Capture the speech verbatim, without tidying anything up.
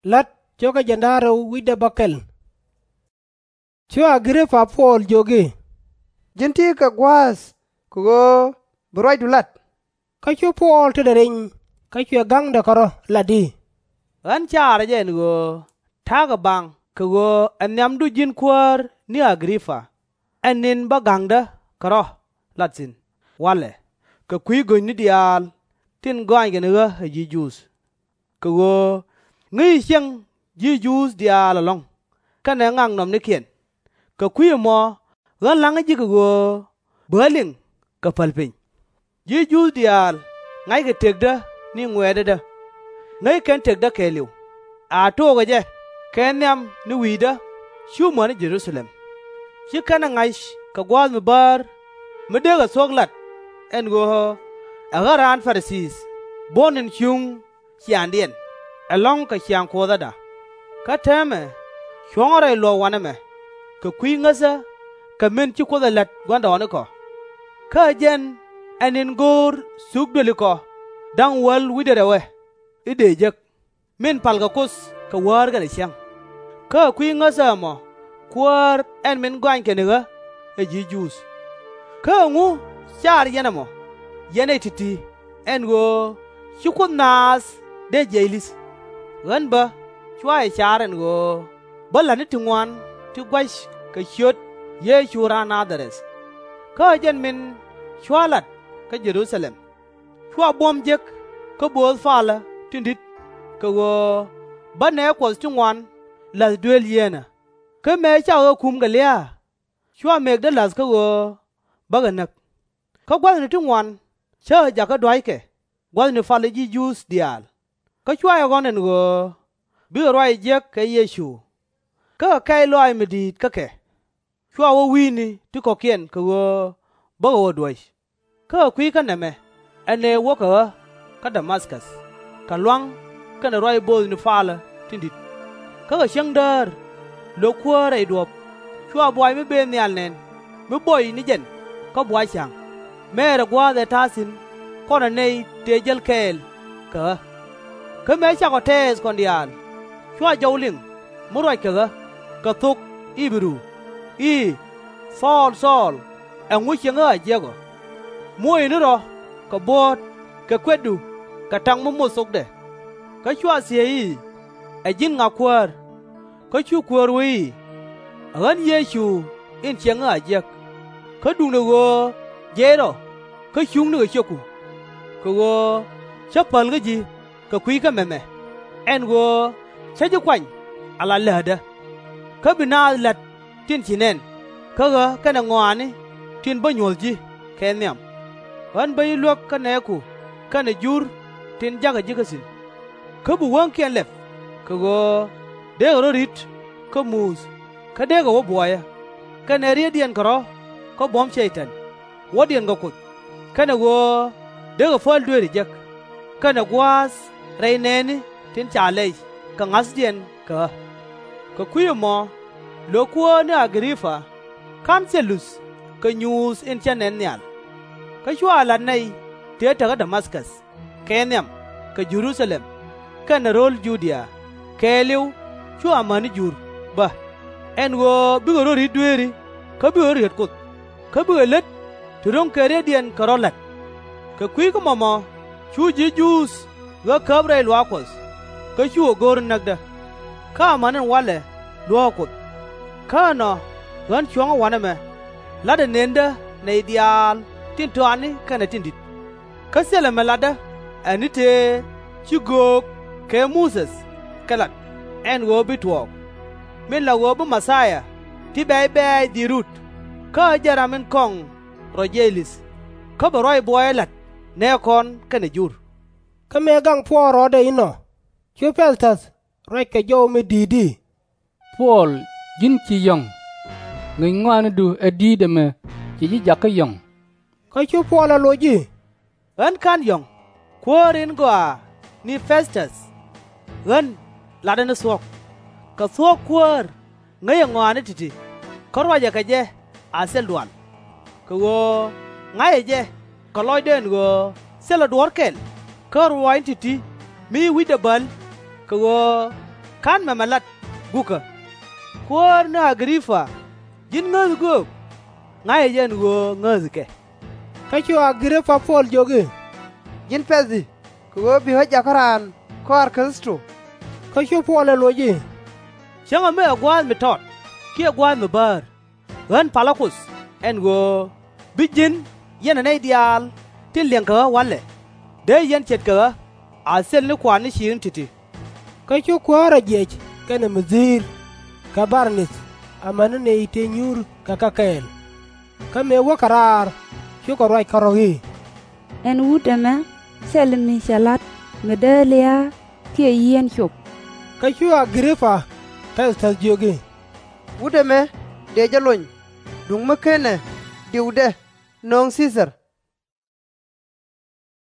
La̱t cuɔ̱kä jiɛn da̱ŋ rɛw wi̱cdɛ bäkɛl. Cu A-gër-pa Puɔl jiök i̱, Ji̱n ti̱i̱ kɛ gua̱a̱th kɛ ɣöö bi ruacdu lat. Kä cu Puɔl tetdɛ reny, kä cuɛ ga̱ŋdɛ kɛ rɔ̱ lat i̱, Ɣän caarä jɛ ɛn ɣöö ta̱a̱ kɛ baŋ kɛ ɣöö ɛ nhiamdu ji̱n kuäär ni A-gër-pa, ɛn ni̱n bä ga̱ŋdä kɛ rɔ̱ lat thi̱n walɛ kɛ kui̱ go̱nyni diaal tin gɔaaŋkɛ ni ɣä ɛ ji̱ Juudh. Kɛ ɣöö ŋäci ciɛŋ ji̱ Juudh diaal ɛlɔ̱ŋ kɛnɛ ŋaknɔmnikiɛn, kɛ kui̱ ɛmɔ ɣän la̱ŋä ji̱ kɛ ɣöö bɛ ɣä liŋ kɛ päl piny. Ji̱ Juudh diaal ŋa̱ckɛ tëkdä ni ŋuɛ̈tdädä, ŋäc kɛn tëkdä kɛɛliw, a tookɛ jɛ kɛ nhiam ni wi̱i̱dä cu mäni Jɛ-ru-tha-lɛm. /Ci kɛn ɛ ŋa̱c kɛ gua̱a̱th mi bäär mi dee kɛ thuɔ̱k lat ɛn ɣöö ɛ ɣän raan Pa-ri-thii, buɔ̱n in cuŋ ciaaŋdiɛn ɛlɔ̱ŋ kɛ ciaŋ Kuɔthäda. Kä täämɛ cuɔ̱ŋä rɛy luɔ̱k wanɛ mɛ, kɛ kui̱ ŋäthä kɛ min ci Kuoth ɛ la̱t gua̱ndɔɔŋnikɔ. Kä ɛ jɛn ɛn in go̱o̱r thuk duëlikɔ da̱ŋ wäl wi̱cdɛ rɛwɛ i̱ dëë jek, min palkɛ Kuoth kɛ wäär kɛnɛ cäŋ. Kä ɛ kui̱ ŋäthä ɛmɔ Kuäär ɛn min gɔaaŋkɛ ni ɣä ɛ ji̱ Juudh. Kä ɛŋu caar yɛn ɛmɔ, yɛn nɛy ti̱ti̱, ɛn ɣöö ci Kuoth naath dee jiɛc li̱th? Ɣän bä cua jɛ car ɛn ɣöö bä la̱tni ti ŋuan ti gua̱c kɛ ciöt Yecu raan Na-dha-rɛth. Kä ɛ jɛn min cua lat kä Jɛ-ru-tha-lɛm, cua buɔ̱m jek kä bööth palä tin di̱t, kɛ ɣöö bä nɛɛ Kuɔth ti ŋuan la̱th dueel yieenä. Kä mëë cakɔ kɛ kum kɛ lia̱a̱, cua mëkdä la̱th kä ɣöö bä kɛ näk. Kä gua̱thni ti ŋuan cä ɣä jakä dua̱ckɛ gua̱thni palä ji̱ Juudh diaal, kä cua jɛ ɣɔ̱n ɛn ɣöö bikɛ ruac jiäk kɛ Yecu, kä kɛ kɛ̈c lɔaac mi di̱i̱t kä kɛ. Cua wä wi̱i̱ni ti kɔ̱kiɛn kɛ ɣöö bä kɛ wä duäc. Kä ɛ kui̱ kä nɛmɛ ɛ nɛy wäkɛ ɣä kä Da-ma-käth, kɛ lua̱ŋ kɛnɛ ruac bööthni palä tin di̱t. Kä kɛ cäŋ däär, löök Kuäär rɛy duɔ̱ɔ̱p, cua buay mi bëë nhial nɛn mi buɔy ni jɛn kä buay ca̱ŋ, mɛɛrɛ gua̱a̱th ɛ ta̱a̱ thi̱n kɔnɛ nɛy tëë jäl kɛɛl kɛ ɣä. Kä mëë cakɔ tɛɛth kɔn diaal, cua jɔw liŋ mi ruac kɛ ɣä kɛ thok I-bɛ-ru i̱, Thɔɔl, Thɔɔl, ɛŋu cieŋ ɣä a jiäk ɔ? Muɔ̱ɔ̱c ni rɔ̱ kɛ buɔ̱ɔ̱t kɛ kuetdu kɛ ta̱ŋ mi moth thokdɛ. Kä cua thiec i̱, Ɛ ji̱n ŋa, Kuäär? Kä cu kuäär wee i̱, Ɛ ɣän Yecu in cieŋ ɣä a jiäk. Kä duundɛ ɣöö jiɛc rɔ kä cuŋni kɛ ciöku, kɛ ɣöö cä päl kä ji̱ kɛ kui̱ kä mɛmɛ, ɛn ɣöö cä ji̱ kuany ala läätdä. Kä bi naath la̱t tin ci nɛn kä ɣä kɛnɛ ŋɔaani tin bä nyuɔ̱th ji̱ kɛ nhiam. Ɣän bä ji̱ luäk kä nɛɛku kɛnɛ Jur tin ja̱kä ji̱ kä thi̱n. Kä bi wäŋkiɛn lɛp, kɛ ɣöö dee kɛ rɔ̱ ri̱t kä muth kä dee kɛ wä buɔyä, kɛnɛ rietdiɛn kɛ rɔ̱ kä buɔ̱m Cɛy-tan, wädiɛn kɛ Kuoth, kɛnɛ ɣöö dee kɛ päl dueeri jek, kɛnɛ gua̱a̱th rɛy nɛɛni tin ca lɛy kɛ ŋa̱thdiɛn kɛ ɣä. Kɛ kui̱ ɛmɔ, löök Kuäär ni A-gɛ-ri-pa ka̱n thil luth kɛ nyuuth in cä nɛn nhial. Kä cua la̱t nɛy tëë te kä Da-ma-käth kɛ nhiam kɛ Jɛ-ru-tha-lɛm kɛnɛ ro̱l Ju-dia, kɛɛliw cu amäni Jur bä, ɛn ɣöö bikɛ rɔ̱ ri̱t dueeri kä bikɛ rɔ̱ riet Kuoth, kä bikɛ lät ti ro̱ŋ kɛ rietdiɛn kɛ rɔ̱ la̱t. Kɛ kui̱ kä mɔmɔ cu ji̱ Juudh ɣä käp rɛy luaak Kuɔth, kä cukɛ go̱r näkdä. Kä amäni ɛn walɛ luäk Kuoth. Kä ɛnɔ ɣän cuɔ̱ŋä wanɛ mɛ, la̱tdɛ nëndä nɛy diaal tin tɔatni kɛnɛ tin di̱t. Kä thilɛ mi latdä ɛ ni tëë ci göök kɛ Muthɛ kɛ lat ɛn ɣöö bi tuɔɔk, min la ɣöö bi Mɛ-thia ti bɛ̈c bɛ̈ɛ̈c dhil rut, kä ɛ jɛn ram in kɔŋ rɔ jiɛc li̱th, kä bɛ ruac buɔyä la̱t nɛɛkɔn kɛnɛ Jur. Kä mëë gaŋ Puɔl rɔɔdɛ inɔ, cu Pɛ̈th-täth ruac kɛ jɔw mi di̱i̱t i̱, Puɔl, ji̱n ci yɔ̱ŋ! Ŋäc ŋɔaanidu ɛ di̱i̱t ɛmɛ ci ji̱ jakä yɔ̱ŋ. Kä cu Puɔl ɛ loc i̱, Ɣän /ka̱n yɔ̱ŋ, kuäär in gɔaa ni Pɛ̈th-täth. Ɣän latdä ni thuɔ̱k, kɛ thuɔ̱k kuäär ŋäcɛ ŋɔaani ti̱ti̱, kä ruacɛ kɛ jɛ a thil dual. Kɛ ɣöö ŋa̱cɛ jɛ kɛ lɔcdä ɛn ɣöö thilɛ duɔ̱ɔ̱r kɛl kä ruaacni ti̱ti̱ mi ci wi̱cdɛ bäl, kɛ ɣöö /Ka̱n mɛmɛ lat gukä. Kuäär ni A-gri-pa, ji̱n ŋäth göök? Ŋa̱cä jɛ ɛn ɣöö ŋäthkɛ. Kä cu A-gri-pa Puɔl jiök i̱, Ji̱n Pɛth-i̱, kɛ ɣöö bi ɣä jakä raan kɔaar Kritho. Kä cu Puɔl ɛ loc i̱, Cäŋɛ mi ɛ gua̱a̱th mi tɔt kiɛ gua̱a̱th mi bäär, ɣän palä Kuoth, ɛn ɣöö bi ji̱n, yɛnɛ nɛy diaal tin liɛŋkɛ ɣä wa̱lɛ, dee yɛn ce̱tkɛ ɣä a thil ni kua̱r ni ciëŋni ti̱ti̱. Kä cu kuäärä jiɛc kɛnɛ mi dhi̱i̱r kɛ Bar-nith, amäni nɛy ti nyuur kɛ kɛ kɛɛl. Kä mëë wäkɛ raar, cukɛ ruac kärɔ̱ i̱, Ɛn wut ɛmɛ thilɛ mi cɛ la̱t mi dee lia̱a̱ kiɛ yieen cop. Kä cu A-gri-pa Pɛth-täth jiök i̱, Wut ɛmɛ dëë jɛ lony, duŋ mi /kenɛ diwdɛ nööŋ Thii-thar.